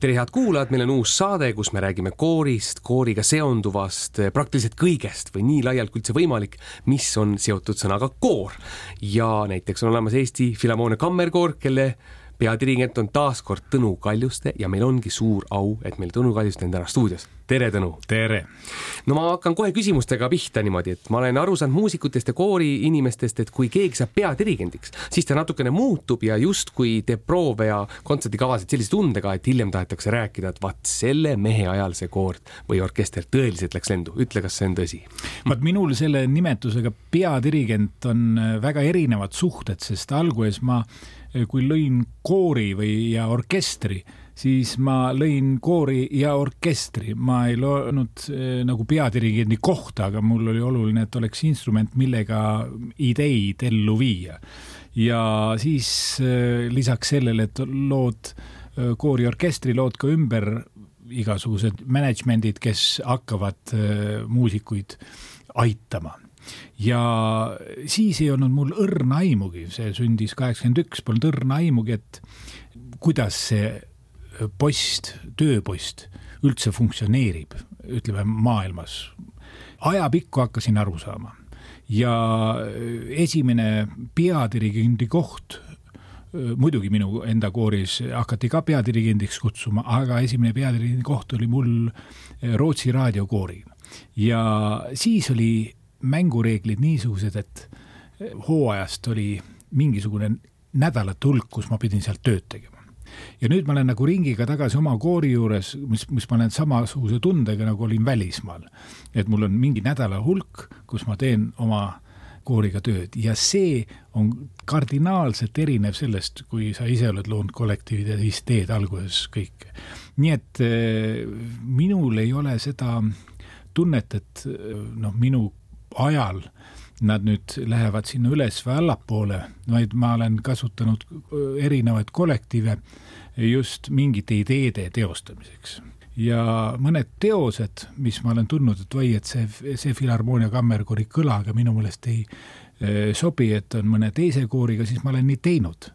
Tere head kuulajad, meil on uus saade, kus me räägime koorist, kooriga seonduvast, praktiliselt kõigest või nii laialt kui üldse võimalik, mis on seotud sõnaga koor. Ja näiteks on olemas Eesti Filharmoonia Kammerkoor, kelle peadirigent on taaskord Tõnu Kaljuste ja meil ongi suur au, et meil Tõnu Kaljuste on täna stuudios. Tere, Tõnu! Tere! No ma hakkan kohe küsimustega pihta niimoodi, et ma olen aru saanud muusikutest ja koori inimestest, et kui keegi saab peadirigendiks, siis ta natukene muutub ja just kui teeb proove ja kontsertikavasid sellise tundega, et hiljem tahetakse rääkida, et vaat selle mehe ajal see koor või orkester tõeliselt läks lendu. Ütle, kas see on tõsi? Vaat minul selle nimetusega peadirigent on väga erinevad suhted, sest alguses ma, kui lõin koori ja orkestri, siis ma lõin koori ja orkestri. Ma ei loonud nagu peadirigendi kohta, aga mul oli oluline, et oleks instrument, millega ideid ellu viia. Ja siis lisaks sellele, et lood koori orkestri, lood ka ümber igasugused managementid, kes hakkavad muusikuid aitama. Ja siis ei olnud mul õrna aimugi, see sündis 81, polnud õrna aimugi, et kuidas see tööpost üldse funktsioneerib, ütleme maailmas. Ajapikku hakkasin aru saama. Ja esimene peadirigendi koht, muidugi minu enda kooris hakati ka peadirigendiks kutsuma, aga esimene peadirigendi koht oli mul Rootsi raadiokoori. Ja siis oli mängureeglid niisugused, et hooajast oli mingisugune nädalate hulk, kus ma pidin sealt tööd tegema. Ja nüüd ma olen nagu ringiga tagasi oma koori juures, mis ma olen samasuguse tundega, nagu olin välismaal. Et mul on mingi nädala hulk, kus ma teen oma kooriga tööd. Ja see on kardinaalselt erinev sellest, kui sa ise oled loonud kollektiivid ja siis teed alguses kõik. Nii et minul ei ole seda tunnet, et minu ajal nad nüüd lähevad sinna üles või allapoole, vaid ma olen kasutanud erinevaid kollektiive just mingite ideede teostamiseks. Ja mõned teosed, mis ma olen tundnud, et või, et see Filharmoonia Kammerkoori kõlaga minu meelest ei sobi, et on mõne teise kooriga, siis ma olen nii teinud.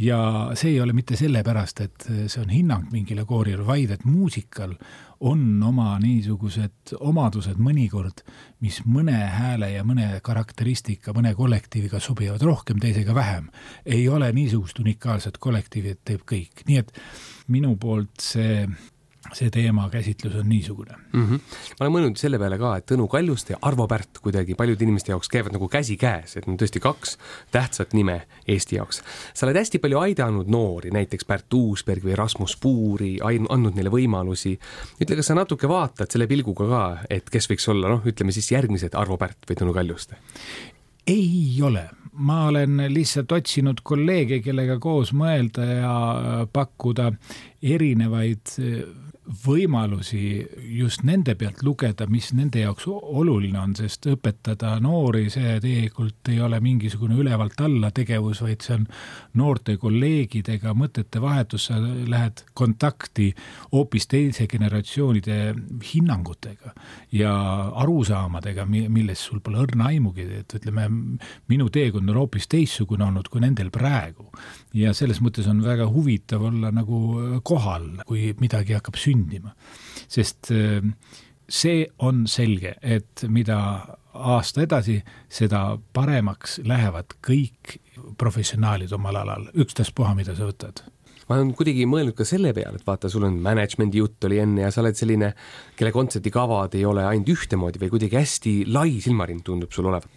Ja see ei ole mitte sellepärast, et see on hinnang mingile koorile, vaid et muusikal on oma niisugused omadused mõnikord, mis mõne hääle ja mõne karakteristika, mõne kollektiiviga sobivad rohkem, teisega vähem. Ei ole niisugust unikaalset kollektiivi, et teeb kõik. Nii et minu poolt see teema käsitlus on niisugune. Ma olen mõelnud selle peale ka, et Tõnu Kaljuste ja Arvo Pärt kuidagi paljude inimeste jaoks käivad nagu käsi käes, et on tõesti kaks tähtsat nime Eesti jaoks. Sa oled hästi palju aidanud noori, näiteks Pärt Uusberg või Rasmus Puuri, andnud neile võimalusi. Ütle, kas sa natuke vaatad selle pilguga ka, et kes võiks olla, ütleme siis järgmised Arvo Pärt või Tõnu Kaljuste? Ei ole. Ma olen lihtsalt otsinud kolleege, kellega koos mõelda ja pakkuda erinevaid võimalusi just nende pealt lugeda, mis nende jaoks oluline on, sest õpetada noori, see tegelikult ei ole mingisugune ülevalt alla tegevus, vaid see on noorte kolleegidega mõtete vahetus, sa lähed kontakti hoopis teise generatsioonide hinnangutega ja arusaamadega, milles sul pole õrna aimugi, et ütleme, minu teekond on hoopis teissugune olnud kui nendel praegu. Ja selles mõttes on väga huvitav olla nagu kohal, kui midagi hakkab sündima. Sest see on selge, et mida aasta edasi, seda paremaks lähevad kõik professionaalid omal alal. Ükstaspuha, mida sa võtad. Ma olen kuidagi mõelnud ka selle peale, et vaata, sul on managemendi jutt oli enne ja sa oled selline, kelle kontsertikavad ei ole ainult ühtemoodi või kuidagi hästi lai silmarind tundub sul olevat.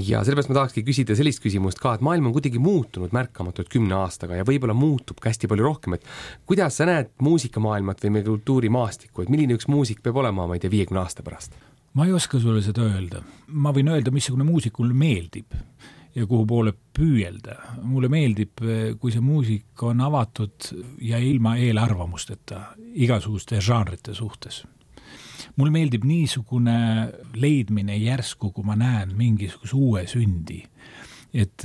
Ja sellepärast ma tahakski küsida sellist küsimust ka, et maailm on kuidagi muutunud märkamatult 10 aastaga ja võib-olla muutub hästi palju rohkem, et kuidas sa näed muusikamaailmat või meie kultuurimaastikku, et milline üks muusik peab olema, ma ei tea, 50 aasta pärast? Ma ei oska sulle seda öelda. Ma võin öelda, missugune muusikul meeldib ja kuhu poole püüelda. Mulle meeldib, kui see muusik on avatud ja ilma eelarvamusteta igasuguste žanrite suhtes. Mulle meeldib niisugune leidmine järsku, kui ma näen mingisuguse uue sündi et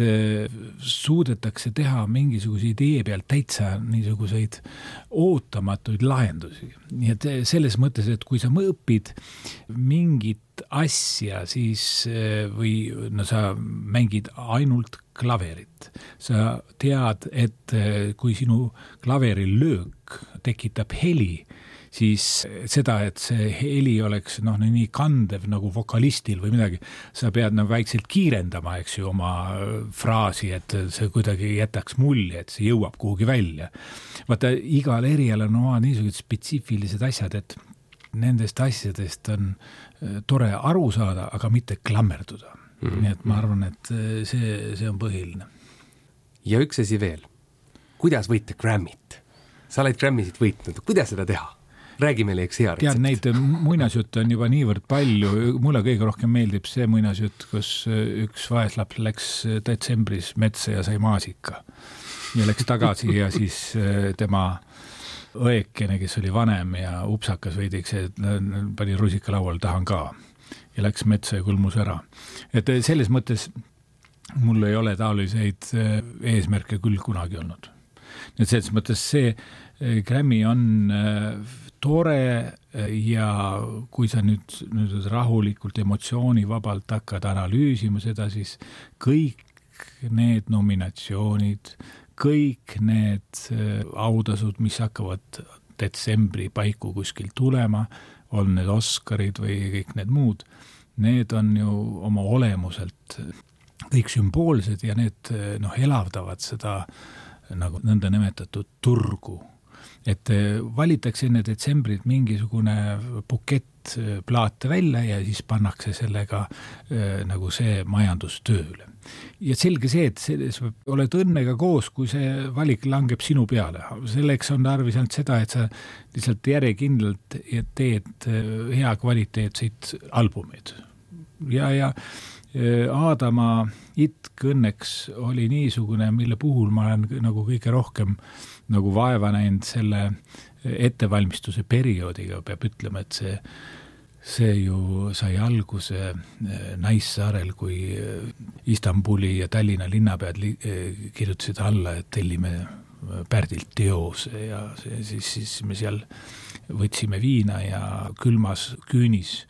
suudetakse teha mingisuguse idee pealt täitsa niisuguseid ootamatuid lahendusi. Nii et selles mõttes, et kui sa õpid mingit asja, siis või sa mängid ainult klaverit. Sa tead, et kui sinu klaveri löök tekitab heli, siis seda, et see heli oleks nii kandev nagu vokalistil või midagi, sa pead väikselt kiirendama, eks ju, oma fraasi, et see kuidagi jätaks mulje, et see jõuab kuhugi välja. Vaata, igal erialal on niisugused spetsiifilised asjad, et nendest asjadest on tore aru saada, aga mitte klammerduda. Nii et ma arvan, et see on põhiline. Ja üks asi veel. Kuidas võita Grammy't? Sa oled Grammy'sid võitnud. Kuidas seda teha? Räägi meile üks hea retsept. Tead, neid muinasjutte on juba niivõrd palju. Mulle kõige rohkem meeldib see muinasjutt, kus üks vaeslaps läks detsembris metsa ja sai maasika. Ja läks tagasi ja siis tema õekene, kes oli vanem ja upsakas veidiks, et pani rusika laual, tahan ka. Ja läks metsa ja kulmus ära. Et selles mõttes mul ei ole taoliseid eesmärke küll kunagi olnud. Et selles mõttes see Grammy on tore ja kui sa nüüd rahulikult emotsioonivabalt hakkad analüüsima seda, siis kõik need nominatsioonid, kõik need autasud, mis hakkavad detsembri paiku kuskil tulema, on need Oscarid või kõik need muud, need on ju oma olemuselt kõik sümboolsed ja need elavdavad seda nagu nõnda nimetatud turgu. Et valitakse enne detsembrit mingisugune bukett plaate välja ja siis pannakse sellega nagu see majandustööle. Ja selge see, et sa oled õnnega koos, kui see valik langeb sinu peale. Selleks on tarvis ainult seda, et sa lihtsalt järjekindlalt teed hea kvaliteetseid albumeid. Ja Aadama itk õnneks oli niisugune, mille puhul ma olen nagu kõige rohkem nagu vaeva näinud selle ettevalmistuse perioodiga, peab ütlema, et see ju sai alguse Naissaarel, kui Istanbuli ja Tallinna linnapead kirjutasid alla, et tellime Pärdilt teose ja siis me seal võtsime viina ja külmas küünis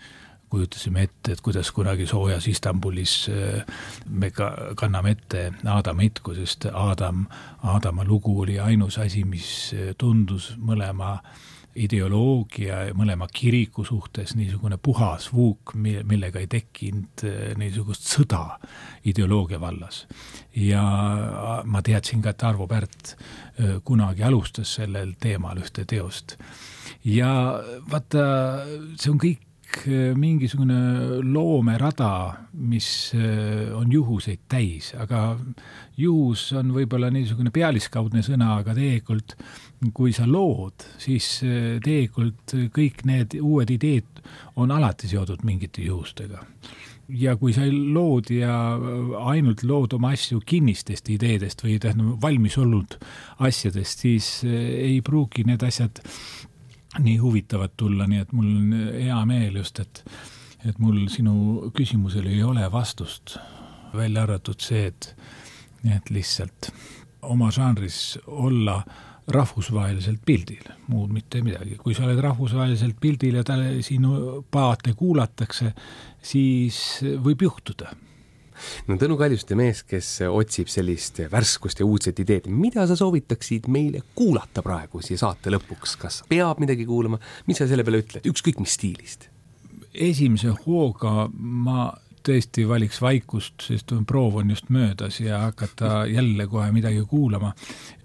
kujutasime ette, et kuidas kunagi soojas Istanbulis me kanname ette Aadama itku, sest Aadama lugu oli ainus asi, mis tundus mõlema ideoloogia ja mõlema kiriku suhtes niisugune puhas vuuk, millega ei tekkinud niisugust sõda ideoloogia vallas. Ja ma teadsin ka, et Arvo Pärt kunagi alustas sellel teemal ühte teost. Ja vaata, see on kõik mingisugune loomerada, mis on juhuseid täis, aga juhus on võib-olla niisugune pealiskaudne sõna, aga tegelikult, kui sa lood, siis tegelikult kõik need uued ideed on alati seotud mingite juhustega. Ja kui sa lood ja ainult lood oma asju kinnistest ideedest või valmis olnud asjadest, siis ei pruugi need asjad nii huvitavad tulla, nii et mul on hea meel just, et mul sinu küsimusele ei ole vastust, välja arvatud see, et lihtsalt oma žanris olla rahvusvaheliselt pildil, muud mitte midagi. Kui sa oled rahvusvaheliselt pildil ja sinu paate kuulatakse, siis võib juhtuda. No Tõnu Kaljuste mees, kes otsib sellist värskust ja uudset ideed, mida sa soovitaksid meile kuulata praegu siia saate lõpuks? Kas peab midagi kuulama? Mis sa selle peale ütled? Ükskõik mis stiilist? Esimese hooga ma tõesti valiks vaikust, sest proov on just möödas ja hakata jälle kohe midagi kuulama.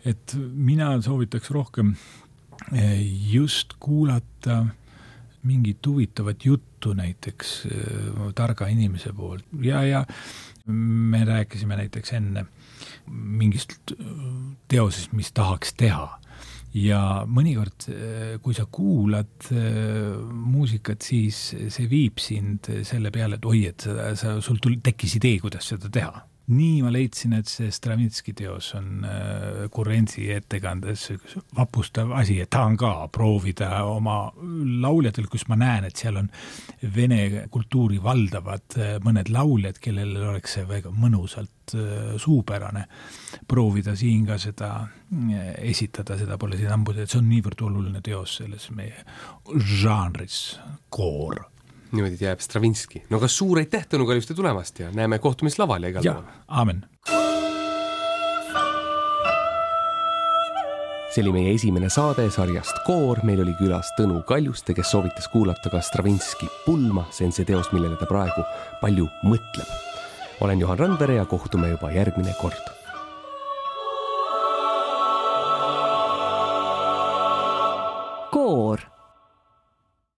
Et mina soovitaks rohkem just kuulata mingit huvitavat juttu näiteks targa inimese poolt. Ja me rääkisime näiteks enne mingist teosest, mis tahaks teha. Ja mõnikord, kui sa kuulad muusikat, siis see viib sind selle peale, et oi, et sul tekkis idee, kuidas seda teha. nii ma leidsin, et see Stravinski teos on Kurenzi ettekandes vapustav asi, et tahan ka proovida oma lauljatel, kus ma näen, et seal on vene kultuuri valdavad mõned lauljad, kellel oleks see väga mõnusalt suupärane proovida siin ka seda esitada, seda pole siin ambus, et see on niivõrd oluline teos selles meie žanris koor. Niimoodi jääb Stravinski. No kas suur aitäh Tõnu Kaljuste tulemast ja näeme kohtumist laval ja igal pool. Aamen. See oli meie esimene saade sarjast Koor. Meil oli külas Tõnu Kaljuste, kes soovitas kuulata ka Stravinski Pulma. See on see teos, millele ta praegu palju mõtleb. Olen Johan Randvere ja kohtume juba järgmine kord.